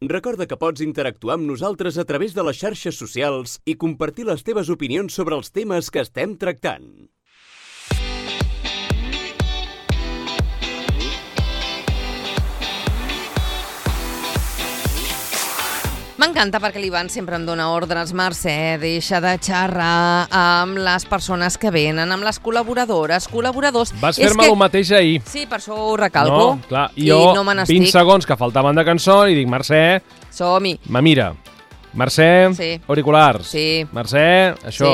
Recorda que pots interactuar amb nosaltres a través de les xarxes socials i compartir les teves opinions sobre els temes que estem tractant. M'encanta perquè l'Ivan sempre em dona ordres. Mercè, deixa de xerrar amb les persones que venen, amb les col·laboradors. Vas fer-me el mateix ahir. Sí, per això ho recalco. No, clar, jo, no 20 segons que faltaven de cançó, i dic, Mercè, som-hi. me mira. Mercè, sí. Auriculars. Sí. Mercè, això.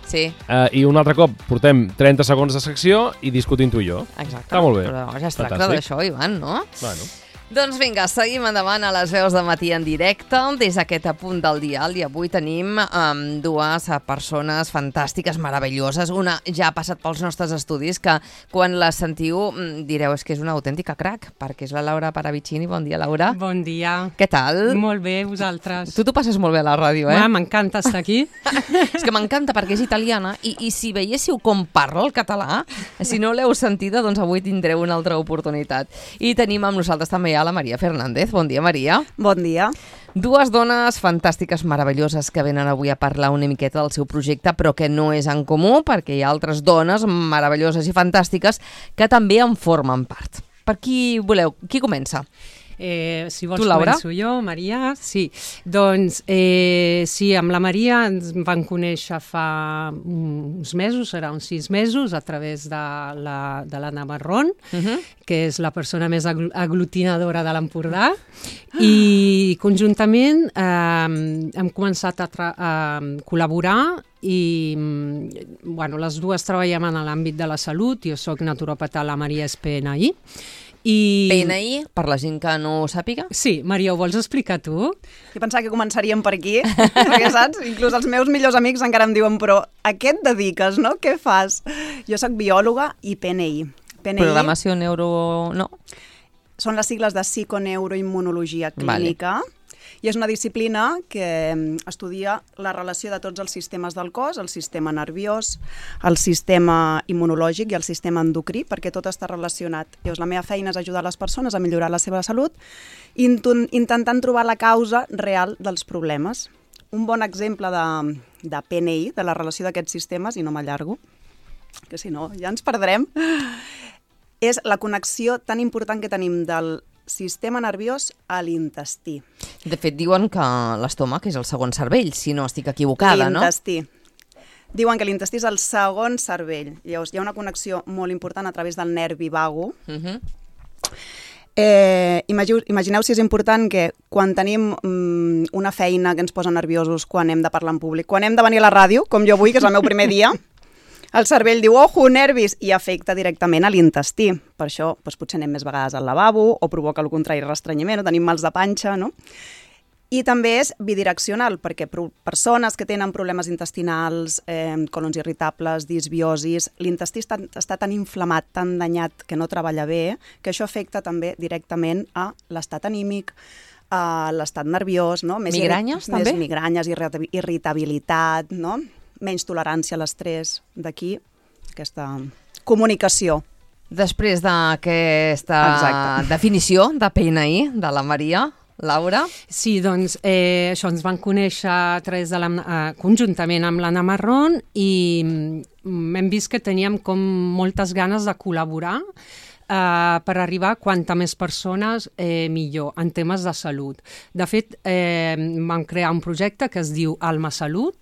Sí. I un altre cop portem 30 segons de secció i discutim tu i jo. Exacte. Està molt bé. Però ja es tracta d'això, Ivan, no? Bueno. Doncs vinga, seguim endavant a les veus de matí en directe des d'aquest apunt del dial, i avui tenim dues persones fantàstiques, meravelloses. Una ja ha passat pels nostres estudis, que quan la sentiu direu és que és una autèntica crac, perquè és la Laura Paravicini. Bon dia, Laura. Bon dia. Què tal? Molt bé, vosaltres. Tu t'ho passes molt bé a la ràdio, eh? M'encanta estar aquí. És que m'encanta perquè és italiana i si veiéssiu com parla el català, si no l'heu sentida, doncs avui tindreu una altra oportunitat. I tenim amb nosaltres també la Maria Fernández. Bon dia, Maria. Bon dia. Dues dones fantàstiques, meravelloses, que venen avui a parlar una miqueta del seu projecte, però que no és en comú, perquè hi ha altres dones meravelloses i fantàstiques que també en formen part. Per qui voleu? Qui comença? Si vols tu, Laura? començo jo, Maria. Sí, doncs sí, amb la Maria ens van conèixer fa uns mesos, serà uns 6 mesos, a través de l'Anna Marrón, que és la persona més aglutinadora de l'Empordà, i conjuntament hem començat a col·laborar i les dues treballem en l'àmbit de la salut. Jo soc naturòpata, la Maria és PNI. PNI, per la gent que no ho sàpiga? Sí, Maria, ho vols explicar tu? Jo pensava que començaríem per aquí, perquè saps? Inclús els meus millors amics encara em diuen, però a què et dediques, no? Què fas? Jo soc biòloga i PNI. Programació neuro... no? Són les sigles de psiconeuroimmunologia clínica. Vale. I és una disciplina que estudia la relació de tots els sistemes del cos, el sistema nerviós, el sistema immunològic i el sistema endocrí, perquè tot està relacionat. Llavors, la meva feina és ajudar les persones a millorar la seva salut, intentant trobar la causa real dels problemes. Un bon exemple de PNI, de la relació d'aquests sistemes, i no m'allargo, que si no ja ens perdrem, és la connexió tan important que tenim del sistema nerviós a l'intestí. De fet, diuen que l'estómac és el segon cervell, si no estic equivocada, no? L'intestí. Diuen que l'intestí és el segon cervell. Llavors, hi ha una connexió molt important a través del nervi vago. Imagineu si és important que quan tenim una feina que ens posa nerviosos, quan hem de parlar en públic, quan hem de venir a la ràdio, com jo avui, que és el meu primer dia, el cervell diu, ojo, nervis, i afecta directament a l'intestí. Per això potser anem més vegades al lavabo, o provoca el contrari, restrenyiment, o tenim mals de panxa, no? I també és bidireccional, perquè persones que tenen problemes intestinals, colons irritables, disbiosis, l'intestí està tan inflamat, tan danyat, que no treballa bé, que això afecta també directament a l'estat anímic, a l'estat nerviós, no? Migranyes, també? Més migranyes, irritabilitat, no? Menys tolerància a l'estrès, d'aquí aquesta comunicació. Després d'aquesta definició de PNI de la Maria, Laura? Sí, doncs això, ens van conèixer a través de conjuntament amb l'Anna Marrón i hem vist que teníem com moltes ganes de col·laborar per arribar a quanta més persones millor en temes de salut. De fet, vam crear un projecte que es diu Alma Salut,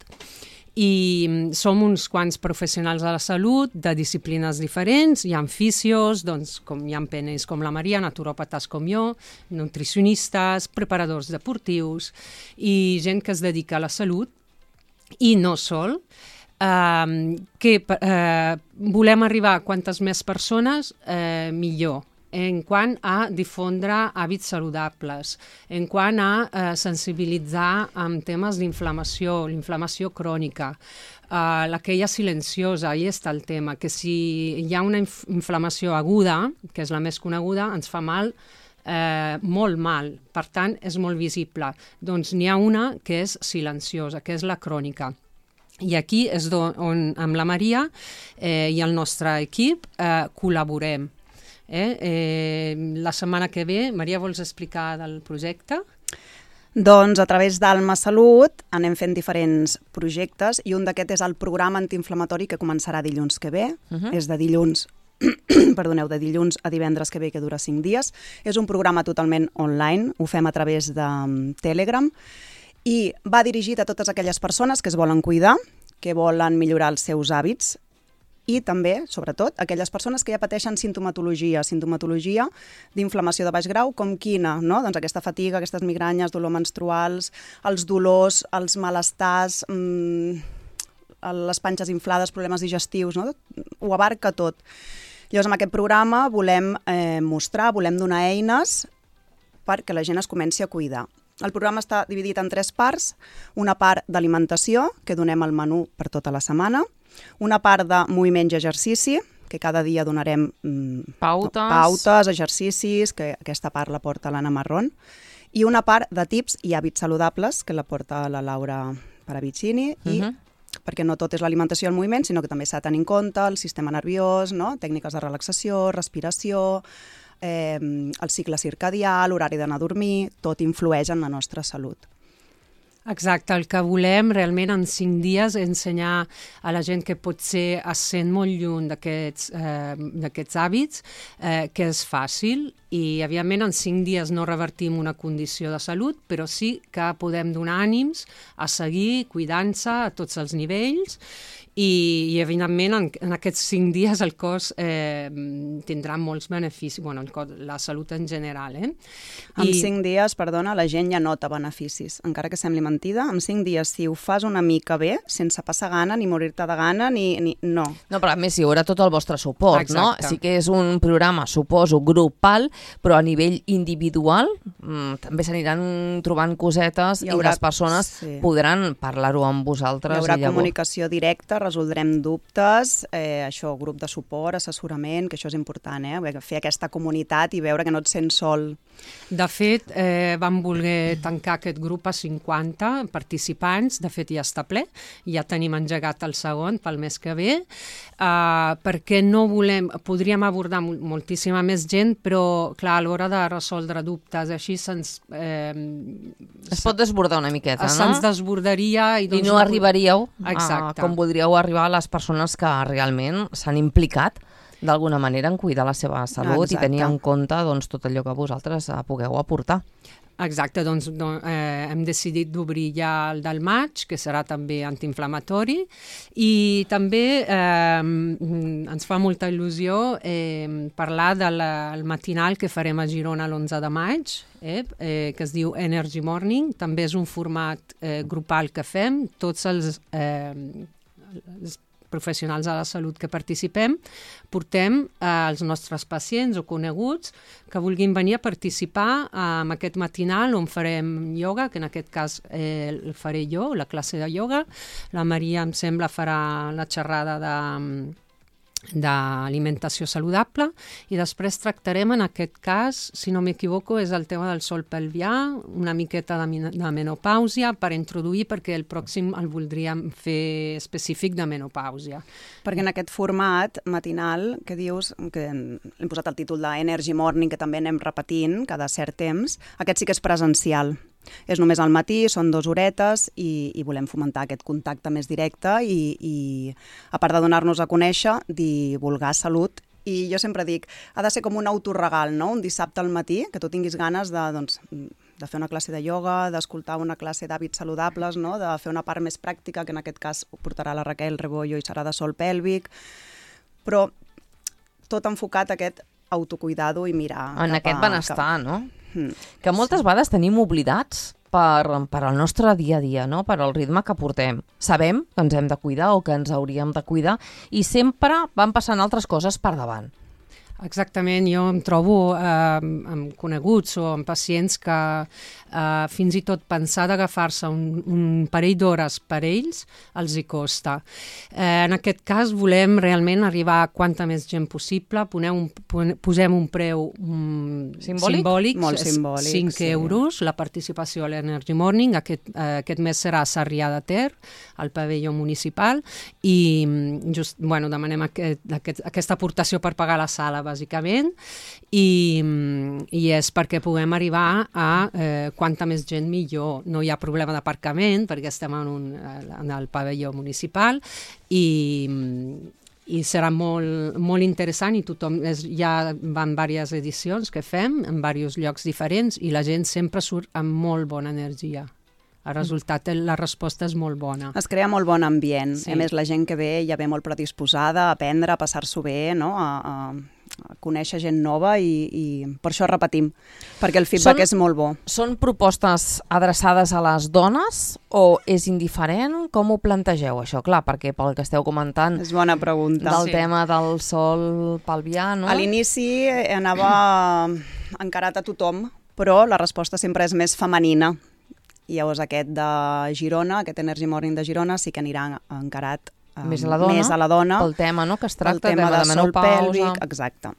i som uns quants professionals de la salut de disciplines diferents. Hi ha fisios, doncs, hi ha PNIs com la Maria, naturòpates com jo, nutricionistes, preparadors deportius i gent que es dedica a la salut i no sol. Volem arribar a quantes més persones millor, en quant a difondre hàbits saludables, en quant a sensibilitzar amb temes d'inflamació, l'inflamació crònica, aquella silenciosa, ahí està el tema, que si hi ha una inflamació aguda, que és la més coneguda, ens fa mal, molt mal, per tant és molt visible. Doncs n'hi ha una que és silenciosa, que és la crònica. I aquí és on amb la Maria i el nostre equip col·laborem. La setmana que ve, Maria, vols explicar del projecte? Doncs a través d'Alma Salut anem fent diferents projectes i un d'aquest és el programa antiinflamatori que començarà dilluns que ve. És de dilluns de dilluns a divendres que ve, que dura 5 dies. És un programa totalment online, ho fem a través de Telegram i va dirigit a totes aquelles persones que es volen cuidar, que volen millorar els seus hàbits i també, sobretot, aquelles persones que ja pateixen sintomatologia d'inflamació de baix grau, com quina, no? Doncs aquesta fatiga, aquestes migranyes, dolor menstruals, els dolors, els malestars, les panxes inflades, problemes digestius, no? Ho abarca tot. Llavors, amb aquest programa volem mostrar, volem donar eines perquè la gent es comenci a cuidar. El programa està dividit en 3 parts, una part d'alimentació, que donem el menú per tota la setmana, una part de moviment i exercici, que cada dia donarem pautes, exercicis, que aquesta part la porta l'Anna Marrón, i una part de tips i hàbits saludables, que la porta la Laura Paravicini, i perquè no tot és l'alimentació i el moviment, sinó que també s'ha de tenir en compte el sistema nerviós, no? Tècniques de relaxació, respiració, el cicle circadià, l'horari d'anar a dormir, tot influeix en la nostra salut. Exacte, el que volem realment en 5 dies ensenyar a la gent que potser es sent molt lluny d'aquests hàbits, que és fàcil i, evidentment, en 5 dies no revertim una condició de salut, però sí que podem donar ànims a seguir cuidant-se a tots els nivells i evidentment, en aquests 5 dies el cos tindrà molts beneficis, bueno, la salut en general. En 5 dies, perdona, la gent ja nota beneficis, encara que sembli mentida. En 5 dies, si ho fas una mica bé, sense passar gana, ni morir-te de gana, ni... No. No, però a més hi haurà tot el vostre suport, exacte, no? Sí que és un programa, suposo, grupal, però a nivell individual també s'aniran trobant cosetes i les persones podran parlar-ho amb vosaltres. Hi haurà comunicació directa, resoldrem dubtes, això, grup de suport, assessorament, que això és important, fer aquesta comunitat i veure que no et sents sol. De fet, vam voler tancar aquest grup a 50 participants, de fet ja està ple, ja tenim engegat el segon pel mes que ve, perquè no volem, podríem abordar moltíssima més gent, però clar, a l'hora de resoldre dubtes, així se'ns... Es pot desbordar una miqueta, no? Se'ns desbordaria i no arribaríeu com voldríeu arribar a les persones que realment s'han implicat d'alguna manera en cuidar la seva salut i tenir en compte tot allò que vosaltres pugueu aportar. Exacte, doncs hem decidit d'obrir ja el del maig, que serà també antiinflamatori, i també ens fa molta il·lusió parlar del matinal que farem a Girona l'11 de maig, que es diu Energy Morning. També és un format grupal que fem, tots els professionals de la salut que participem, portem els nostres pacients o coneguts que vulguin venir a participar en aquest matinal on farem ioga, que en aquest cas el faré jo, la classe de ioga. La Maria, em sembla, farà la xerrada d'alimentació saludable i després tractarem en aquest cas, si no m'equivoco, és el tema del sol pelvià, una miqueta de menopàusia per introduir, perquè el pròxim el voldríem fer específic de menopàusia. Perquè en aquest format matinal que dius, que hem posat el títol d'Energy Morning, que també anem repetint cada cert temps, aquest sí que és presencial. És només al matí, són 2 horetes i volem fomentar aquest contacte més directe i a part de donar-nos a conèixer, divulgar salut. I jo sempre dic, ha de ser com un autoregal, no? Un dissabte al matí, que tu tinguis ganes de fer una classe de ioga, d'escoltar una classe d'hàbits saludables, no? De fer una part més pràctica, que en aquest cas ho portarà la Raquel Rebollo i serà de sol pèlvic, però tot enfocat a aquest autocuidado i mirar en aquest benestar, no? Que moltes vegades tenim oblidats per al nostre dia a dia, no? Per al ritme que portem. Sabem que ens hem de cuidar o que ens hauríem de cuidar i sempre van passant altres coses per davant. Exactament, jo em trobo amb coneguts o amb pacients que fins i tot pensar d'agafar-se un parell d'hores per ells els hi costa. En aquest cas volem realment arribar a quanta més gent possible, posem un preu simbòlic, molt simbòlic, 5 euros, la participació a l'Energy Morning, aquest mes serà a Sarrià de Ter, al pavelló municipal, i just, demanem aquesta aportació per pagar la sala, bàsicament, i és perquè puguem arribar a quanta més gent millor. No hi ha problema d'aparcament, perquè estem en el pavelló municipal, i serà molt interessant, i tothom, ja van diverses edicions que fem en diversos llocs diferents, i la gent sempre surt amb molt bona energia. El resultat, la resposta és molt bona. Es crea molt bon ambient. Sí. A més, la gent que ve ja ve molt predisposada a aprendre, a passar-s'ho bé, no? a conèixer gent nova, i per això repetim, perquè el feedback és molt bo. Són propostes adreçades a les dones o és indiferent? Com ho plantegeu, això? Clar, perquè pel que esteu comentant És bona pregunta. del tema del sol pelvià, no? A l'inici anava encarat a tothom, però la resposta sempre és més femenina. I llavors aquest de Girona, aquest Energy Morning de Girona, sí que anirà encarat més a la dona, pel tema, no?, que es tracta, pel tema de sol menopausa. pèlvic, exacte.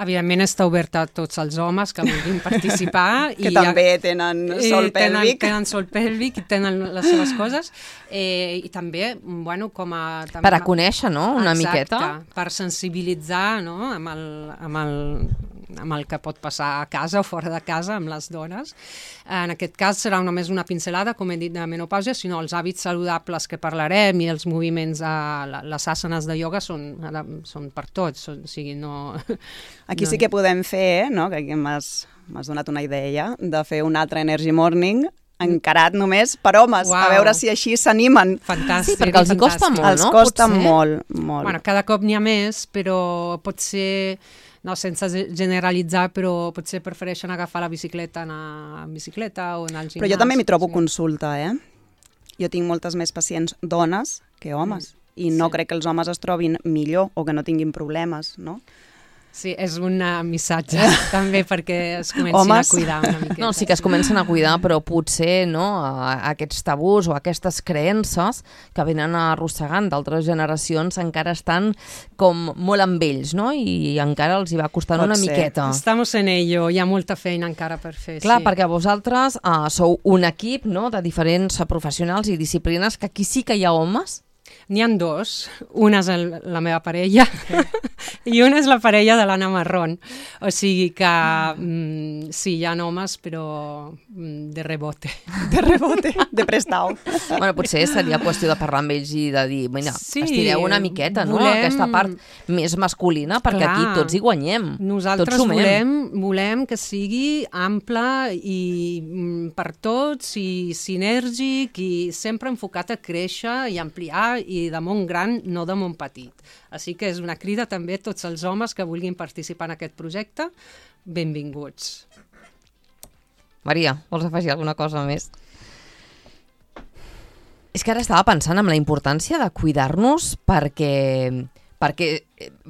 Evidentment està oberta a tots els homes que vulguin participar. Que també tenen sol pèlvic. Tenen sol pèlvic i tenen les seves coses. I també, bueno, com a... Per a conèixer, no?, una miqueta. Exacte, per sensibilitzar, no?, amb el que pot passar a casa o fora de casa amb les dones. En aquest cas serà només una pincelada, com he dit, de menopausa, sinó els hàbits saludables que parlarem i els moviments, les àsanes de ioga són per tots, o sigui, no... Aquí sí que podem fer, no?, que aquí m'has donat una idea, de fer un altre Energy Morning encarat només per homes, Uau. A veure si així s'animen. Fantàstic. Sí, perquè els hi costa molt, Els no? costa Potser. molt. Bueno, cada cop n'hi ha més, però potser, no, sense generalitzar, però potser prefereixen agafar la bicicleta, anar en bicicleta o anar al gimnàs. Però jo també m'hi trobo consulta, Jo tinc moltes més pacients dones que homes, i no crec que els homes es trobin millor o que no tinguin problemes, no? Sí, és un missatge també perquè es comencin a cuidar una miqueta. No, sí que es comencen a cuidar, però potser, no, aquests tabús o aquestes creences que venen arrossegant d'altres generacions encara estan com molt amb ells, no? I encara els hi va costant una miqueta. Estamos en ello, hi ha molta feina encara per fer. Clar, sí. perquè vosaltres sou un equip, no?, de diferents professionals i disciplines, que aquí sí que hi ha homes. N'hi ha dos. Una és la meva parella i una és la parella de l'Anna Marrón. O sigui que sí, hi ha homes, però de rebote. De rebote, de prestau. Bueno, potser seria qüestió de parlar amb ells i de dir, mira, sí, estireu una miqueta, no?, aquesta part més masculina, perquè aquí tots hi guanyem. Nosaltres tots volem que sigui ample i per tots, i sinèrgic, i sempre enfocat a créixer i ampliar, i de món gran, no de món petit. Així que és una crida també a tots els homes que vulguin participar en aquest projecte. Benvinguts. Maria, vols afegir alguna cosa més? És que ara estava pensant en la importància de cuidar-nos perquè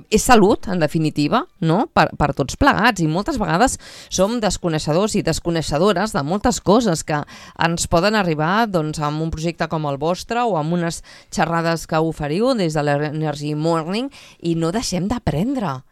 és salut, en definitiva, no?, per tots plegats, i moltes vegades som desconeixedors i desconeixedores de moltes coses que ens poden arribar, doncs, amb un projecte com el vostre o amb unes xerrades que oferiu des de l'Energy Morning, i no deixem d'aprendre.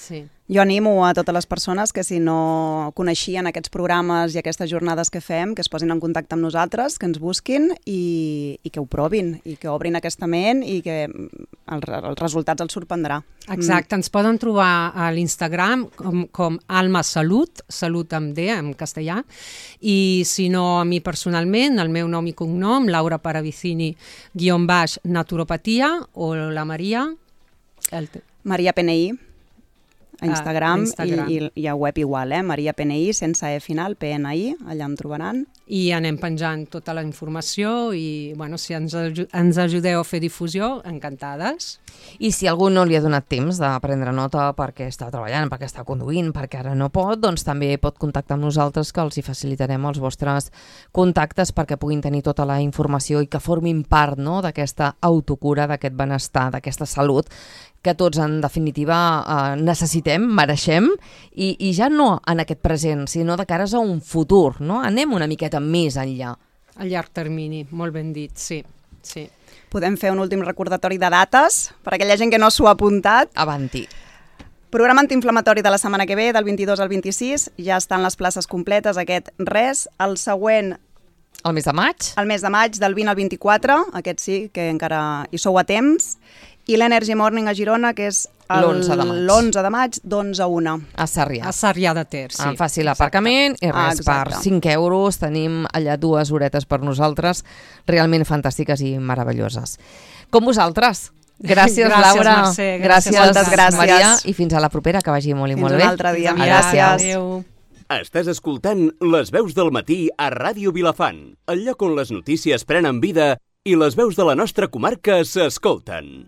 Sí. Jo animo a totes les persones que, si no coneixien aquests programes i aquestes jornades que fem, que es posin en contacte amb nosaltres, que ens busquin i que ho provin, i que obrin aquesta ment, i que els resultats els sorprendrà. Exacte, ens poden trobar a l'Instagram com Alma Salut, Salut amb D, en castellà, i si no, a mi personalment, el meu nom i cognom, Laura Paravicini, _naturopatia, o la Maria... Maria PNI, a Instagram, Instagram. I a web igual, Maria PNI, sense E final, PNI, allà em trobaran. I anem penjant tota la informació i, bueno, si ens ajudeu a fer difusió, encantades. I si algú no li ha donat temps de prendre nota perquè està treballant, perquè està conduint, perquè ara no pot, doncs també pot contactar amb nosaltres, que els hi facilitarem els vostres contactes perquè puguin tenir tota la informació i que formin part, no?, d'aquesta autocura, d'aquest benestar, d'aquesta salut que tots, en definitiva, necessitem, mereixem, i ja no en aquest present, sinó de cares a un futur, no? Anem una miqueta més enllà. A llarg termini, molt ben dit, sí. Sí. Podem fer un últim recordatori de dates per a aquella gent que no s'ho ha apuntat. Avanti. Programa antiinflamatori de la setmana que ve, del 22 al 26, ja estan les places completes, aquest res. El següent... El mes de maig? El mes de maig, del 20 al 24, aquest sí, que encara hi sou a temps. I l'Energy Morning a Girona, que és L'11 de maig. L'11 de maig, d'11 a 1. A Sarrià. A Sarrià de Ter, sí. Amb fàcil aparcament i res, per exacte. 5 euros tenim allà 2 horetes per nosaltres, realment fantàstiques i meravelloses. Com vosaltres. Gràcies, Laura. Mercè, Gràcies, moltes gràcies. Maria. I fins a la propera, que vagi molt i molt bé. Fins un altre dia. Gràcies. Adéu. Estàs escoltant Les veus del matí a Ràdio Vilafant, el lloc on les notícies prenen vida i les veus de la nostra comarca s'escolten.